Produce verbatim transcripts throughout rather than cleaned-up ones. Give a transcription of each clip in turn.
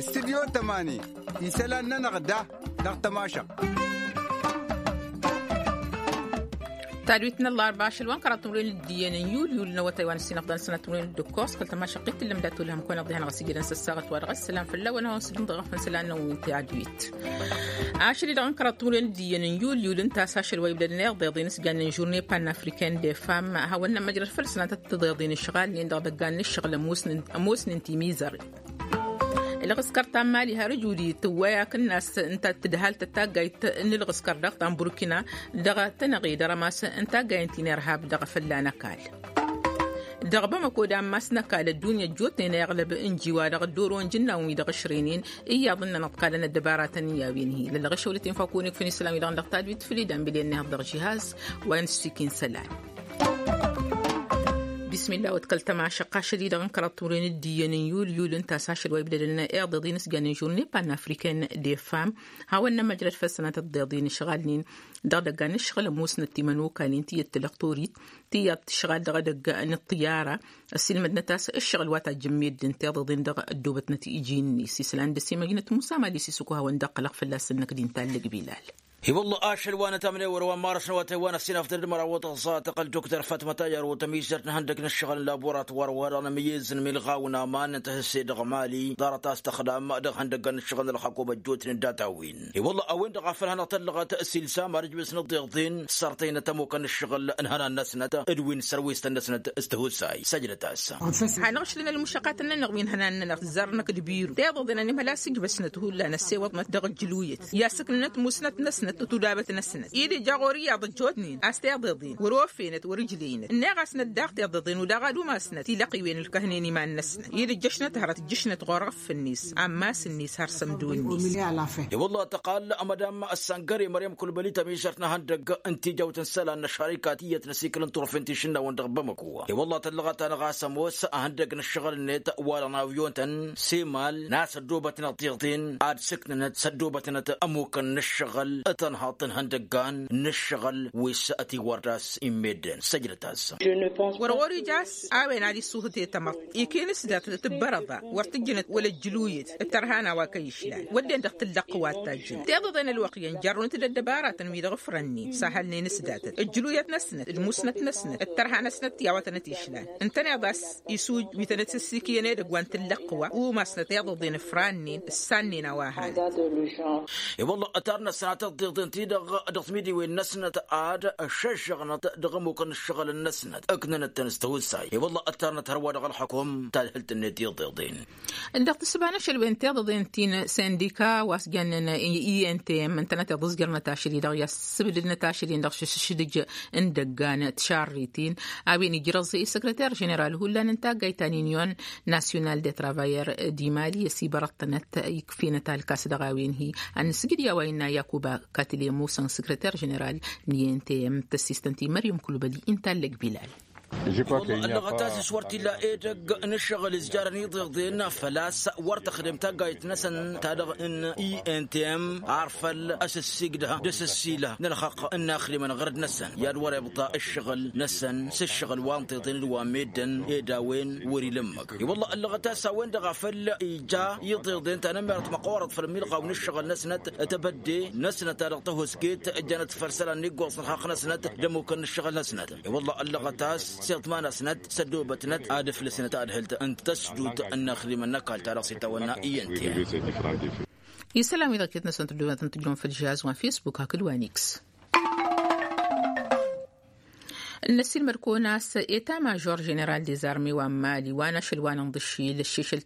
Studyo tămani isălan-nănăɣ da dăɣ-tămašăɣt. Tadwit n-ăllarba ašăl wa n-kăraḍ timǝrwen d-iyyăn n-yulyul n-awătay wa n-ǝssinăɣ d-anăsănat timǝrwen d-ǝkkoẓ kăl-tămašăɣt-t tǝllăm dat-olhăm kăwăneɣ dihen ɣas ijădăn s-ăssaɣăt wa dăɣ-ăssălam făll-a-wen hawăn-sǝdǝm dăɣ-afăn isălan-năwăn wi n-tadwit. Ašăl-i-dăɣ n-kăraḍ timǝrwen d-iyyăn n-yulyul ǝnta a-s ašăl wa ibdădăn iḍeḍen s-jannen žurne panafriken de fam hawăn-nămmăjrăd făll-sănatăt tiḍeḍen ǝšɣalnen dăɣ-idăggan n-ǝššăɣǝl ămoosnen timizăren. Ǝlɣǝskăr ta n-mali har ǝjudǝy tǝwway akǝnnas ǝnta tǝdhaltăt taggayt n-ǝlɣǝskăr daɣ ta n-burkina dăɣ-tănăɣe d-arămas n-taggayen ti n-irhab dăɣ-fălla n-ăkall. Dăɣ-bamăko d-ammas n-ăkall ăddunya ăjjootnen a iɣlăb ǝnji-wa-dăɣ ăddoro n-ijǝnnawăn-wi-dăɣ ǝšrǝynen iyyăḍ ǝnnăn ăḍkalăn ăddăbaratăn i-a-wen hi-lălăɣ išăwlăt-in făw kăwănek făll-isălan-wi-dăɣ dăɣ-tadwit făll-idam bilăn-nehăḍ dăɣ-žihaz wa n-ǝssikin isălan. Bismillah wăt kăl-tămašăɣt ašăl-i-dăɣ n-kăraḍ timǝrwen d-iyyăn n-yulyul ǝnta a-s ašăl wa ibdădăn iḍeḍen s-jannen žurne panafriken de fam hawăn-nămăjrăd făll-sănatăt tiḍeḍen ǝšɣalnen dăɣ-idăggan n-ǝššăɣǝl ămoosnăt timănokalin tiyyăt tǝlăɣtorit tiyyăt tǝšɣal dăɣ-edăgg n-ǝṭṭǝyyara. Ăssiilmădnăt a-s ǝššăɣǝl wa tajjǝmmedden tiḍeḍen dăɣ-ăddoobătnăt iji-net s-isălan dăr-s emăjnăt musa mali s-isǝkku hawăn-dd-ăqqǝlăɣ fălla-s ǝnnăk d-intallăg bilal. I-wălla ašăl wa n-ătamnewăr wa n-marăs n-awătay wa n-ăssinafdăd măraw wătăẓẓa tăqqăl dukter fatma tajjăr wa tămizărt n-ihăndăg n-ǝššăɣǝl n-laboratwar wa dăɣ-nămǝyyez n-milɣaw n-aman n-tihǝsse dăɣ-mali ḍarăt a-s tăxdam dăɣ-ihăndăggan n-ǝššăɣǝl n-ălxăkobăt jotnen data-win. I-wălla a-wen-dăɣ a făl hanăɣ-tăllăɣăt s-ilsam arǝjbǝs n-ăddiḍen sărtăynăt ămukăn n-ǝššăɣǝl n-ihănan-năsnăt d-wi n-sărwestăn-năsnăt s-tihusay săjdăt-as. Hanăɣ-ašlăn ălmušăqatăn-nănăɣ wi n-ihănan-nănăɣ tǝzzarnăk d-biru tiḍăḍen ănimhăl a-s ǝjbăsnăt hullan ăssewăḍnăt dăɣ-ǝjjǝluyăt i-asǝknănăt musnăt-năsnăt d-tudabăt-năsnăt-i d-ija ɣur-iyyăḍ ăjjootnen a-s tiḍeḍen wăr-ofenăt wăr-ǝjlăynăt ǝnneɣ-asnăt daɣ tiḍeḍen udaɣ ad-umasnăt tilăqqiwen ǝlkăhnen iman-năsnăt i-dd-ǝjjăšnăt hărăt ǝjjăšnăt ɣur-ɣǝffǝnnis amma s-ǝnnis har sămdun-net. I-wălla tăqal madam ăssangăre măryăm kulbăli tămišărt n-ehăndăgg n-tijawt n-isălan n-ăššărikat iyyăt n-asikǝl n-turfen ti šǝnnawăn dăɣ-bamăko. I-wălla tăllăɣăt-anăɣ a-s ămoos ehăndăgg n-ǝššăɣǝl-net wa dăɣ-n avyun-tăn semal n-a-s ăddoobătnăt tiḍen ad-sǝknănăt s-ăddoobătnăt ămukăn n-ǝššăɣǝl tănhaḍt n-ihăndăggan n-ǝššăɣǝl wi s-ătiwărdas immedden săjdăt-as. Wăr-ɣur-ija a-s a-wen ad-isuhǝte tamăḍt ikinǝs dat-tǝbbărăḍa wăr tǝjjǝnăt wăla ǝjjǝluyăt d-tărhan a-wa kăy-išlan wădden dăɣ-tǝllăqqǝwat tajjǝn tiḍăḍen ălwăqq iyyăn jărrun-t d-ăddăbaratăn wi-dăɣ ǝfrănnen s-ahălnen s-datăt ǝjjǝluyăt-năsnăt d-musnăt-năsnăt d-tărha-năsnăt ti a-wa tănăt-išlan ǝntăneḍ a-s isuj wi tănăt-ǝssikǝyăn edăgg wa n-tǝllăqqǝwa umasnăt iḍăḍen ǝfrannen ǝssannen a-wa hanăt. I-wălla ătarnăt sănatăt tiḍen-ti-dăɣ dăɣ-timidiwen-năsnăt ad-šăžžăɣnăt dăɣ-ămmukăn n-ǝššăɣǝl-năsnăt ǝknănăt-tăn s-tihusay i-wălla ătarnăt hărwa dăɣ-ălxăkum tadhǝlt-net iḍeḍen. Dăɣ-tǝssǝba n-ašăl wen tiḍeḍen ti n-sindika wa s-jannen i n t m ǝntănăt iḍǝzjărnăt ašăl-i-dăɣ i-assǝbdǝdnăt ašăl-in dăɣ-šǝššǝdǝj n-idăggan tišarritin a-wen ijrăẓ i-săkrăter ženeral hullan n-taggayt ta n-inyon nasyonal de travayer d-imali ăsibărăḍ-tănăt ikf'-enăt alkas dăɣ-a-wen-hi. Ad-nǝsjǝd i-a-wa innă yakuba katile musăn săkrăter ženeral n-i n t m tăssistăn-ti măryăm kulbăli intallăg bilal. Ăllăɣăt-as s-wăr t-illa edăgg n-ǝššăɣǝl izjarăn iḍeḍen făl-a-s wăr tăxdem taggayt-năsăn ta dăɣ-n i n t m ar făl ăsǝssigdăh d-asǝssilăh n-ălxăqq n-inaxdimăn ɣărăd-năsăn i-ad-wăr-ibḍa ǝššăɣǝl-năsăn s-ǝššăɣǝl wa n-tiḍen d-wa n-meddǝn ed a-wen wăr-ila ǝmmǝk. I-wălla ăllăɣăt-as a-wen-dăɣ a făl ija iḍeḍen ta n-ămmerăt măqqoorăt făll-milɣaw n-ǝššăɣǝl-năsnăt tebădde-năsnăt ta dăɣ-tăhusket ăjjanăt făll-isălan n-iggoẓ n-ălxaqq-năsnăt d-ămmukăn n-ǝššăɣǝl-năsnăt. I-wălla ăllăɣăt-as s-iḍma-năsnăt s-ăddoobătnăt ad-ǝflǝsnăt tadhǝlt n-tăsdut n-inaxdimăn n-ăkall ta dăɣ-s itawănna i n t m. Isălan-wi-dăɣ iket-năsăn tǝddǝwătăn tǝjjăwăn făll-žihaz wa n-facebook hakd wa n-x. Ǝnnăsilmăd-kăwăn a-s eta mažor ženeral dezarme wa n-mali wa n-ašăl wa n-inḍǝššil ăššišǝl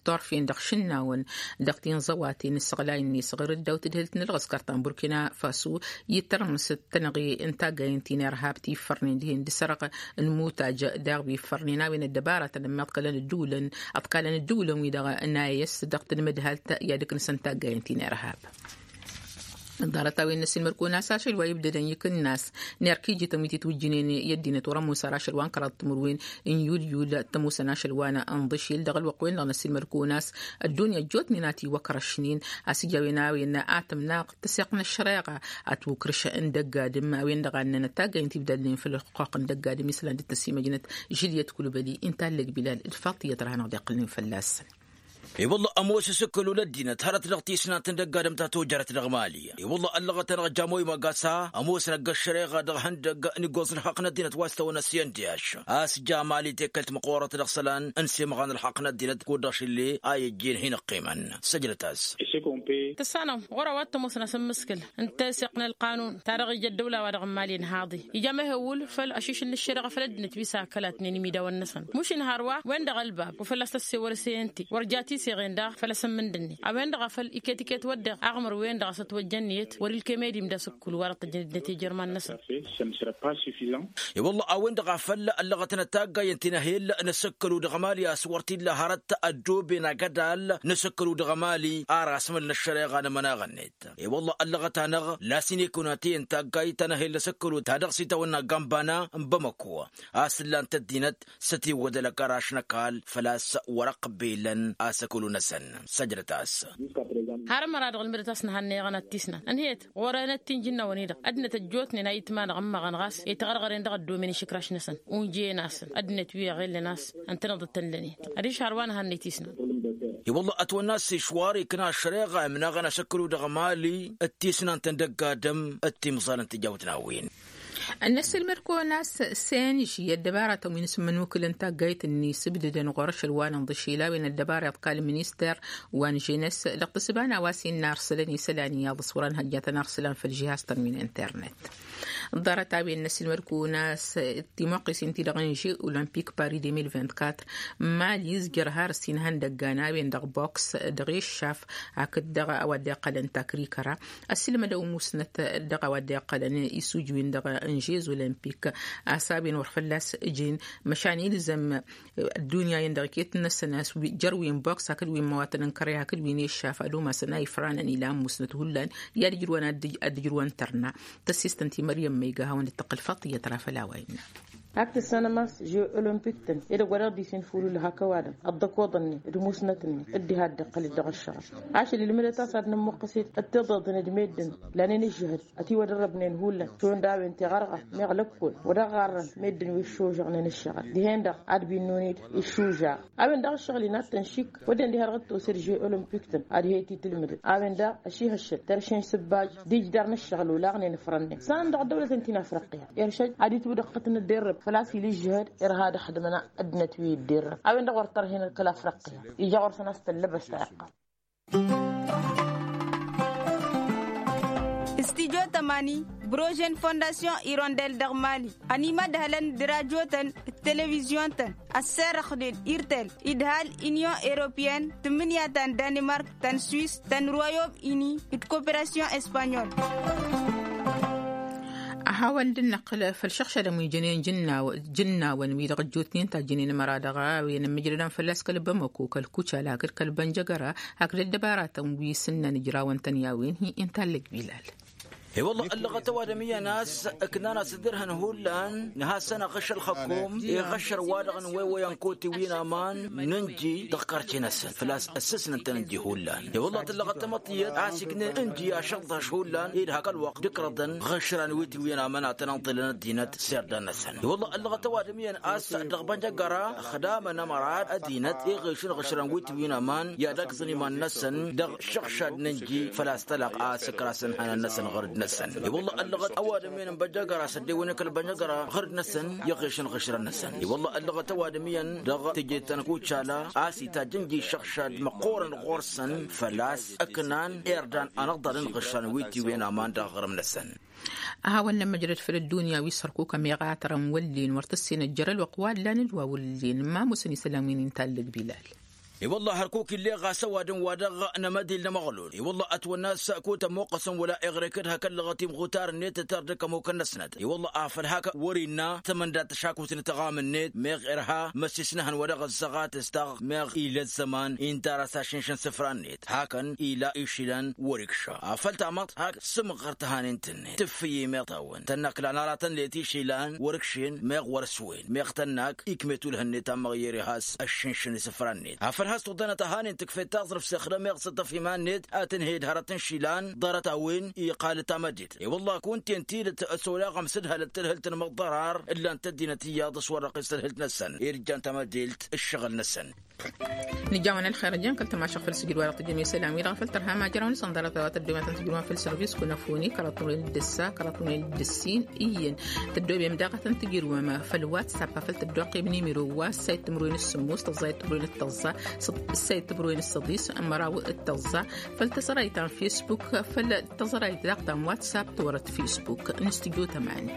torf-in dăɣ-išǝnnawăn dăɣ-tinẓăwaten n-isăɣlay-net ɣur-ăddawt tǝdhǝlt n-ălɣǝskăr ta n-burkina faso i-tărmǝs d-tănăɣe n-taggayen ti n-irhab ti iffărnen dihen d-sărăɣ n-imutaj daɣ wi iffărnen a-wen ăddăbaratăn ămmiḍkălăn ăddǝwǝlăn ăḍkalăn ăddǝwǝlăn-wi-dăɣ n-a i-s dăɣ-tǝnmǝdhalt i-ad-ǝknǝsăn taggayen ti n-irhab. Ḍarăt-a-wen n-ăssiilmăd-kăwăn a-s ašăl wa ibdădăn ikǝnnas n-erk ijităn wi titwǝjjǝnen i-ăddinăt wăr-ămoos ar ašăl wa n-kăraḍ timǝrwen n-yulyul. Tămoosăn ašăl wa n-ănḍǝšil dăɣ-ălwăqq wen-dăɣ n-ăssiilmăd-kăwăn a-s ăddunya ăjjootnen a tiwăkrăšnen a-s ija a-wen a-wen a tǝmnaɣ tăseɣt n-ăššăreɣa ad-twǝkrǝš n-dăgg-adǝm a-wen-dăɣ a ǝnnăn ătaggayen tibdalnen făll-ăxxuqq n-dăgg-adǝm islan d-tăsimăjnăt žiliyăt kulbăli. Inta ăllăg bilal d-faḍt iyyăt ra hanăɣ-dd-iqqǝlnen fălla-săn. I-wălla ămoos asǝkkălu n-ăddinăt hărăt dăɣ-tisnant n-dăgg-adǝm ta tojărăt dăɣ-mali. I-wălla ăllăɣăt-anăɣ jamoy magasa ămoosăn ăgg-ăššăreɣa dăɣ-ihăndăgg n-iggoẓ n-ălxaqq n-ăddinăt wa s-tawăn ăsyăn d-iyyăš a-s ja mali tekkălt măqqoorăt dăɣ-isălan n-semɣan ălxaqq n-ăddinăt kud-dăɣ šǝlle a i-ăjjeen hin-ăqqimăn. Săjdăt-as. Tăssanăm ɣur-a-wa t-ămoosăn asǝmmǝskǝl n-teseɣt n-ălqanun ta dăɣ-ija ăddăwla-wa-dăɣ n-mali ănhaḍe ija mehewul făll-ašišǝl n-ǝššăreɣa făll-ăddinăt wi s-akălatnen imidawăn-năsăn mušǝn hărwa wen-dăɣ ălbab wa fălla-s tăssewăr s-e n-te wăr ja tiseɣen daɣ făll-asǝmmǝndǝnne a-wen-dăɣ a făl iket-iket wădden aɣmăr wen-dăɣ a-s ătwăjjăn iyyăt wăr-ilkem ed imdasǝkkǝl wa-dăɣ tăjjăn ăddinăt ejărman-năsăn. I-wălla a-wen-dăɣ a făl ăllăɣătnăt taggayen ti n-ehel n-asǝkkălu dăɣ-mali a-s wăr t-illa hărăt ăddooben agădal n-asǝkkălu dăɣ-mali ar asmăl n-ăššăreɣa n-ămănaɣ-net. I-wălla ăllăɣăt-anăɣ lasǝnekăwăn atăyăn taggayt ta n-ehel n-asǝkkălu ta dăɣ-s itawănna gambana n-bamăko a-s ǝllan-t ăddinăt s-ătiwădălăk ăraš n-ăkall făl-a-s wăr-ăqbelăn asǝkkălu-năsăn. Săjdăt-as. Har ămăra-dăɣ ǝlmǝdăt a-s nǝhannăyăɣăn ad-tisnan ǝnhăyăt ɣur-enăt ti n-ijǝnnawăn-i-dăɣ ăddinăt ăjjootnen a itmanăɣ ǝmmăɣăn ɣas itɣărɣăren dăɣ-ăddomen išǝkraš-năsăn unjăyăn-asăn ăddinăt wi ăɣellăn a-s ǝntăneḍ d-tăllănen. Adiš har wa nǝhannăy tisnan. I-wălla ătwănna a-s išwar ikna ăššăreɣa imnaɣăn asǝkkălu dăɣ-mali d-tisnant n-dăgg-adǝm d-timẓal n-tijawt n-a-wen. Ănnăssilmăd-kăwăn a-s senži ăddăbaratăn wi n-asǝmmănukǝl n-taggayt-ni s-ǝbdǝdăn ɣur-ašăl wa n-inḍǝšil a-wen ăddăbara iḍkal minister wa n-ženes dăɣ-tǝssǝba n-a-wa s-innă arsălăn isălan iyyăḍ s-wăr ănhăjjatăn arsălan făll-žihaz-tăn wi n-internet. Ḍarăt a-wen n-ăssilmăd-kăwăn a-s timuqqǝsin-ti-dăɣ n-žeu olămpik paris deux mille vingt-quatre mali izjăr har ǝssin ihăndăggan a-wen dăɣ-boks dăɣ-eššaf hakd dăɣ-a-wa dd-iqqălăn takrikăra. Ăssilmădăw musnăt dăɣ-a-wa dd-iqqălăn isuj-win-dăɣ n-žez olămpik a-s a-wen wăr fălla-s ǝjǝn măšan ilzăm ăddunya-in-dăɣ iket-năsăn a-s jer-wi n-boks hakd wi n-măwatăn n-kăre hakd wi n-eššaf ad-umasăn a ifranăn ilan musnăt hullan. I-ad-ǝjrǝwăn ad-ǝjrǝwăn tărna tăssistăn ti măryăm ma iga hawăn-dd-tăqqǝl faṭ iyyăt ra făll-a-wa innă. Hak tǝssanăm a-s žeu olămpik-tăn edăgg wa dăɣ-dd-isin făll-hullan hak ăwadǝm ăḍḍăkoḍăn-net d-musnăt-net dd-iha dd-iqqăl-dd dăɣ-ăššăɣǝl. Ašăl ilmǝdăt a-s ad-nămmuqqǝset d-tiḍeḍen d-meddǝn lanen ǝžžǝhăd ătiwădărrăbnen hullan šund a-wen teɣărɣa meɣ lăkkol wa dăɣ-ɣarrăn meddǝn wi ǝššužăɣnen ǝššăɣǝl dihen-dăɣ ad-binnun-dd iššužaɣ. A-wen daɣ ǝššăɣǝl-i n-ad-tăn-išik wădden diha dăɣ-dd-tosăd žeu olămpik-tăn ad-he-t-itǝlmǝdăd. A-wen daɣ ăšihăššăl tărše n-isǝbbaj d-ijdar n-ǝššăɣǝl olaɣnen ǝfrănnen s-a-wen dăɣ-ăddăwlăt ǝnta-i n-afriqya. Iršăj ad-itwǝdăqqăt n-ădderrăb făl-a-s il' ǝžžǝhăd irha ad-ăxdǝmăn ăddinăt wi ǝdderrăb a-wen-dăɣ wăr tărhen ălkăl afriqya. Ija ɣur-săn a-s tăllăbăs ta iqqăr. Studyo tămani brožen fondasyon irondel dăɣ-mali ănimădhălăn d-radyo-tăn d-televizyon-tăn ăsserăxnen irtel idhal inyon europeyăn tǝmmǝnǝya ta n-danimark ta n-swis ta n-royom ini d-koperasyon espanyol. A hawăn-dd-năqqǝl făll-išăɣšadăn wi jănen jǝnnawăn wi-dăɣ ăjjootnen tajjǝnen ămăra dăɣ-a-wen ămmǝjrădăn fălla-s kăl-bamăko kăl-kucala hakd kăl-bănjăgăra hakd ăddăbaratăn wi s-ǝnnăn ǝjrawăn-tăn i-a-wen hi-inta ăllăg bilal. I-wălla ăllăɣăt ăwadǝm iyyăn a-s ǝknan-as d-irhăn hullan nǝhasăn aɣǝššăl xăkkum iɣăššăr-wa-dăɣ n-wewăyăn koti wi n-aman n-ǝnji dăɣ-karce-năsăn făl-a-s ăssǝsnăn-tăn ǝnji hullan. I-wălla tǝllăɣăt tamăḍt tiyyăt a-s iknen ǝnji ašăḍḍaš hullan ed hak ălwăqq dd-ikrăḍăn ɣǝšran wi tiwǝyăn aman ad-tăn-ănḍǝlăn ăddinăt s-irdan-năsăn. I-wălla ăllăɣăt ăwadǝm iyyăn a-s dăɣ-bănjăgăra ăxdamăn ămăra ăddinăt iɣǝšǝn ɣǝšran wi tiwǝyăn aman i-ad-ăkẓăn iman-năsăn dăɣ-išǝɣšad n-ǝnji făl-a-s tălăɣ a-s ǝkrasăn hănan-năsăn ɣur-dd-năsăn. I-wălla ăllăɣăt ăwadǝm iyyăn n-bănjăgăra s-ăddewănen kăl-bănjăgăra ɣur-dd-năsăn iɣǝšǝn ɣǝšran-năsăn. I-wălla ăllăɣăt ăwadǝm iyyăn dăɣ-teje ta n-kucala a-s itajj ǝnji išăɣšad măqqoorăn ɣur-săn făl-a-s ǝknan irdan anăḍḍalăn ɣǝšran wi tiwǝyăn aman dăɣ-aɣrǝm-năsăn. A hawăn-nămmăjrăd făll-ăddunya wi s-hărkuk ămiɣatărăn wăllen wăr tǝssinăt jer-ălwăqq wa ǝllan d-wa wăllen ma musăn isălan wi n-intallăg bilal. I-wălla hărkuk illeɣ ɣas ăwadǝm wa dăɣ-nămădil n-amăɣlul i-wălla ătwănna a-s kud-tămmuqqăsăn wăla iɣrek d-hak ăllăɣăt imɣutar-net tătardǝk ămukăn-năsnăt i-wălla afăl hak wăr-innă tămăndat tăšakut n-tăɣam-net meɣ irha măsisnăhăn wa dăɣ-ăzzăɣatăs-taɣ meɣ ila ăzzăman inta ar asăššǝnšăn isǝfra-net hakăn ila išilan wăr-ikša afăl tamăḍt hak sǝmɣăr tăhanen-tǝnnet tǝffǝy i-meɣ tawăn tănnăklan aratăn letǝy išilan wăr-ikšen meɣ wăr-ăswen meɣ tănnak ikmet ulhǝnnet a măɣyăr ihas ăššǝnšǝn isǝfra-net afăl has-tuḍănăt ăhanen tǝkfet taẓrǝft s-ixdăm iɣsǝṭṭăf iman-net ad-tǝnhăy d-hărăt n-išilan ḍarăt-a-wen iqal tamăddit i-wălla-k wǝnten tidǝt s-oleɣăm s-ǝdhălăt tǝlhǝlt n-imăḍḍărar ǝllan-t ăddinăt iyyăḍ s-wăr-răqqis tǝlhǝlt-năsăn irjan tamăddelt ǝššăɣǝl-năsăn. Nǝjawăn ălxer ăjjăn kăl-tamašăɣ făll-sǝjǝd wa dăɣ-tǝjjăm isălan-wi-dăɣ făll-tărha ma jărăwăn s-ănḍărăt a-wa tăddoben ad-tǝjrǝwăn făll-sărvis kunăfuni kăraḍ timǝrwen d-ǝssa kăraḍ timǝrwen d-ǝssin iyyăn tăddoben daɣ ad-tăn-tǝjrǝwăm făll-whatsapp a făl tăddoqqem n-imiro wa ǝssayăt timǝrwen s-sǝmmos tăẓẓayăt timǝrwen d-tăẓẓa ǝssayăt timǝrwen s-săḍis măraw d-tăẓẓa făll-tăẓrayt ta n-facebook făll-tăẓrayt daɣ ta n-whatsapp tiwărăt facebook n-studio tămani.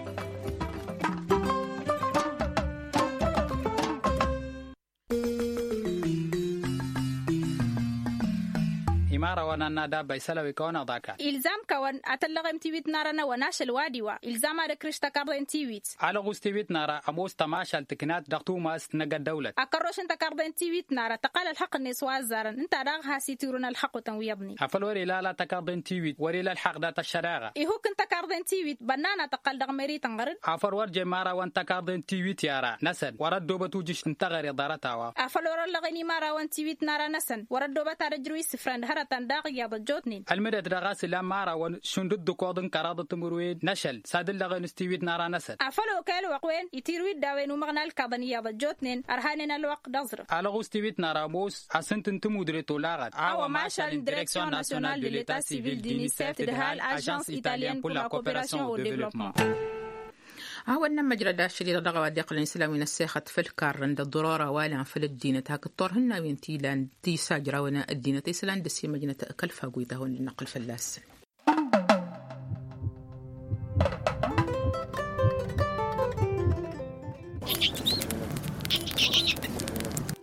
Imărawăn ad-nadabba isălan wi kăwăn-aḍa akal. Ilzam-kăwăn ad-tăllăɣem tiwit n-ara n-awăn ašăl wa d-iwa ilzam ad-ǝkrǝš tăkarḍe n-tiwit. Alăɣus tiwit n-ara ămoos tămašalt tǝknat dăɣ-tumast n-agăddăwlăt. Akărroš n-tăkarḍe n-tiwit n-ara tăqqal ălxăqq-net wa ăzzarăn ǝnta daɣ has-itirǝwăn ălxăqqutăn wi iyyăḍnen. Afăl wăr-ila ala tăkarḍe n-tiwit wăr-ila ălxaqq dat-ăššăreɣa. Ihuk n-tăkarḍe n-tiwit bănna n-ad-tăqqal dăɣ-meri tănɣăr-dd. Afăl wăr jen imărawăn tăkarḍe n-tiwit i-ara-năsăn wăr-ăddoobăt ujǝš n-teɣăre ḍarăt-a-wa. Afăl wăr-ăllăɣen imărawăn tiwit n-ara-năsăn wăr-ăddoobăt ad-ăjrǝw isǝfran d-hărătăn daɣ iyyăḍ ăjjootnen. Ălmǝdăt dăɣ-a-s ilan imărawăn šund dd-ǝkoḍ n-kăraḍăt timǝrwen n-ašăl s-ad-ǝllăɣen s-tiwit n-ara-năsăn. Afăl okăy ălwăqq-wen itirǝw-dd a-wen umăɣna ǝlkaḍăn iyyăḍ ăjjootnen ărhanen ălwăqq d-aẓrǝf. Alăɣus tiwit n-ara ămoos asǝnt n-timudre tolaɣăt a-wa mašal n-direksyon nasyonal de leta sivil d-unicef d-hal ažans italyen pour la cooperasion au devlopman. A-wa n-nămmăjrăd ašăl-i-dăɣ dăɣ-a-wa dd-iqqălăn isălan wi n-ăssexăt făll-karrăn d-ăḍḍurora wa lan făll-ăddinăt hakd turhǝnna wi n-ti ilan tisajrawăn ăddinăt isălan dăr-s imăjnăt kăl-fagu-i-ta hawăn-dd-năqqǝl fălla-săn.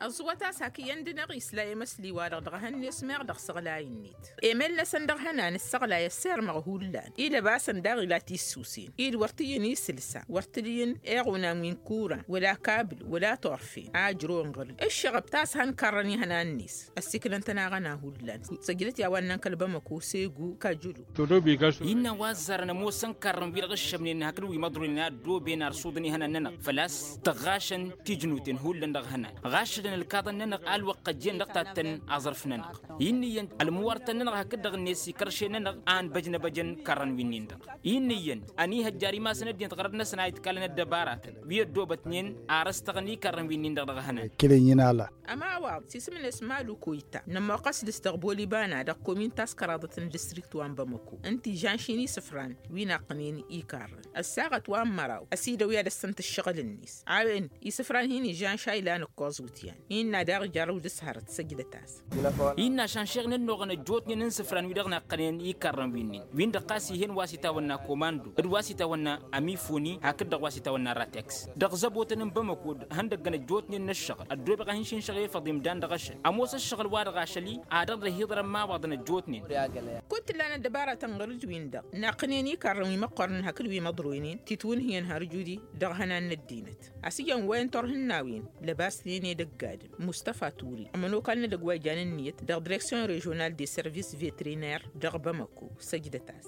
Ăẓwăt-as hak iyyăn d-năɣ isla i-măsli-wa-dăɣ dăɣ-ehăn-net meɣ dăɣ-săɣlay-net. Emel-năsăn dăɣ-hănan ǝssăɣlay ăssirmăɣ hullan-i d-ăbasăn daɣ ila tissǝwsen-i d-wăr t-iyyăn isǝlsa wăr t-dd-iyyăn iɣunan wi n-kuran wăla kabǝl wăla turfen a ǝjrăwăn ɣăr-dd ǝššăɣăb ta s-hăn karrăn ihănan-net. Ăssiklăn-tăn aɣăna hullan săjdăt i-a-wa ǝnnan kăl-bamăko segu kajǝlu. Innă wa ăzzarăn ămoosăn karrăn-wi-dăɣ ǝššămnen hakd wi măḍroynen a ăddooben arsuḍăn ihănan-nănăɣ făl-a-s tăɣɣašăn tijnuten hullan dăɣ-ihănan ɣašădăn ǝlkaḍăn-nănăɣ a ălwăqq ăjjeen dăɣ-tattăn aẓrǝf-nănăɣ. Innă iyyăn ălmǝwărtăn-nănăɣ hakd-dăɣ-net ikărše-nănăɣ a ănbăjnăbăjăn karrăn-winnin-dăɣ. Innă iyyăn ănihăjjar imass n-ăddinăt ɣărăt-năsăn a iḍkalăn ăddăbaratăn wi ăddoobătnen ar ăstăɣăn ikarrăn-winnin-dăɣ dăɣ-ihănan. Ămawaḍ s-isǝm-net malu koyta nămmoqqăs dăɣ-s dăɣ-bolibana dăɣ-komin ta s-kăraḍăt n-distrikt wa n-bamăko ǝnta ižănš-in isǝfran wi naqqǝnen ikarrăn ăssaɣăt wa n-măraw ăsidăw i-ad-ăssănt ǝššăɣǝl-net. A-wen isǝfran hin-ižănš a ilan ǝkkoẓ wǝtyan innă daɣ jarrăw dăɣ-s hărăt săjdăt-as. Innă ašănšeɣ n-ănnuɣăn ăjjootnen n-isǝfran wi-dăɣ naqqănen ikarrăn winnin win-dăɣ ɣas ih'-en wa s-itawănna komando d-wa s-itawănna amifoni hakd-dăɣ wa s-itawănna rateks dăɣ-zăbotăn n-bamăko d-ihăndăggăn ăjjootnen n-ǝššăɣǝl ăddoobeɣ ad-hin-šǝnšăɣ efăḍ imdan dăɣ-ašăl ămoos ǝššăɣǝl-wa-dăɣ ašăl-i ad-ăḍrăh iḍrăn imawaḍăn ăjjootnen. Kud t-ǝllan ăddăbara tănɣăr-dd-win-dăɣ naqqǝnen ikarrăn wi măqqornen hakd wi măḍroynen titwǝnhǝyăn har judi dăɣ-ihănan n-ăddinăt. A-s iyyăn wa n-turhǝnnawen lăbasnen edăgg adǝm mustăfa ture ămănokal n-edăgg wa ijan ǝnniyăt dăɣ-direksyon režional de service veteriner dăɣ-bamăko săjdăt-as.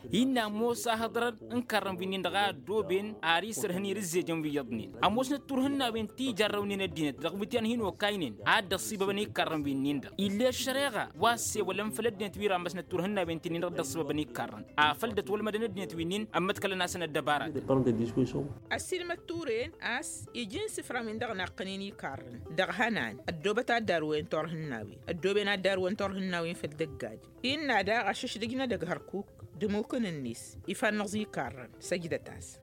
Innă ămoos ahǝḍrăd n-karrăn wi-nin-dăɣ a ăddooben ar isărhăn irǝzzejăn wi iyyăḍnen ămoosnăt turhǝnnawen ti jarrăwnen ăddinăt dăɣ-wǝtyan hin-okaynen a dd-ăṣṣibăbăn i-karrăn wi-nin-dăɣ ill'-e ăššăreɣa wa ăssewălăn făll-ăddinăt wi rammăsnăt turhǝnnawen ti-nin-dăɣ dd-ăṣṣibăbăn i-karrăn afăl dd-ătwălmădăn ăddinăt wi-nin ămmăḍkălăn-asăn ăddăbaratăn. Ăssiilmăd ture-en a-s ija insǝfran-win-dăɣ naqqănen ikarrăn dăɣ-ihănan ăddoobăt ad-darwen turhǝnnawen ăddooben ad-darwen turhǝnnawen făll-dăgg-adǝm innă daɣ ašăšdǝj n-edăgg hărkuk. d-ămukǝn-net ifannăẓ ikarrăn. Săjdăt-as.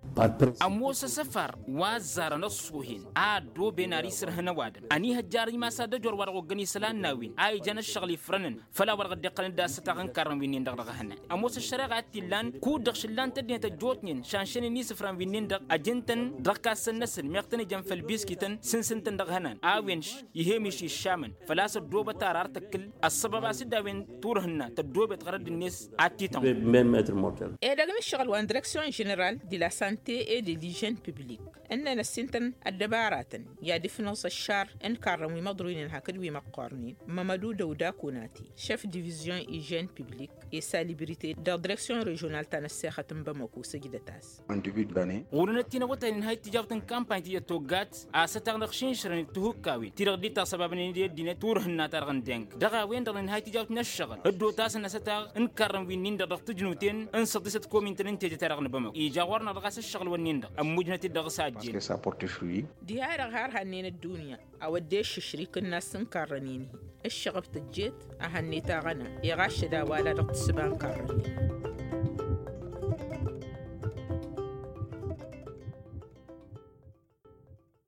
Ămoos asăfar wa ăzzarăn ăṣṣuhen a ăddooben ar isǝrhǝn ăwadǝm ănihăjjar imas ad-ăjor wa dăɣ-oggăn isălan n-a-wen a ijăn ăššăɣǝl ifrănăn făll-a-wa dăɣ-dd-iqqălăn d-asătaɣ n-ikarrăn wi-nin-dăɣ dăɣ-ehănan. Ămoos ăššăreɣa a t-illan kud-dăɣ šǝllan-t ăddinăt ăjjootnen šanšănen isǝfran wi-nin-dăɣ ăjǝn-tăn dăɣ-ikassăn-năsăn meɣ tăn-ijăn făll-biskităn sǝns ǝntăn dăɣ-ehănan a-wen ih'-e miš iššamăn făl-a-s ăddoobăt ar ar tăkkǝl ăṣṣăbab a-s dd-a-wen turhǝnna tăddoobet ɣărădd-net. Ad-t-itănɣăḍ. Edăgg n-ǝššăɣǝl wa n-direksyon ženeral de la sante et de lijen publik ǝnnăn ăssintăn ăddăbaratăn i-ad-ifnăẓ ăššar n-ikarrăn wi măḍruynen hakd wi măqqornen. Mămădu dăwda kunati šef divizyon ijen publik i-salibrite dăɣ-direksyon režional ta n-ăssexăt n-bamăko sǝjdăt-as. Ɣur-enăt tinăwătay n-inhăy tijawt n-kampany ti dd-toggat asătaɣ n-aɣšinšrăn d-tihukkawen ti-dăɣ dd-itasăbabnen i-ăddinăt turhǝnna-ta-dăɣ n-deng dăɣ-a-wen-dăɣ n-inhăy tijawt n-ăššăɣǝl dd-otasăn asătaɣ n-ikarrăn wi-nin-dăɣ dăɣ-tǝjnuten n-săḍisăt komintăn n-tejăt-ta-dăɣ n-bamăko ija ɣur-năɣ dăɣ-a-s ăššăɣǝl-wǝnnin-dăɣ ămmujnăt-dd dăɣ-s a ăjjeen. Diha-dăɣ har hannen ăddunya a-wa dd-eššǝšrikăn n-ass n-ikarrăn-in-hi ǝššăɣăb tăjjeet a hannăy taɣăna iɣaššăd a-wa-la dăɣ-tǝssǝba n-ikarrăn-in.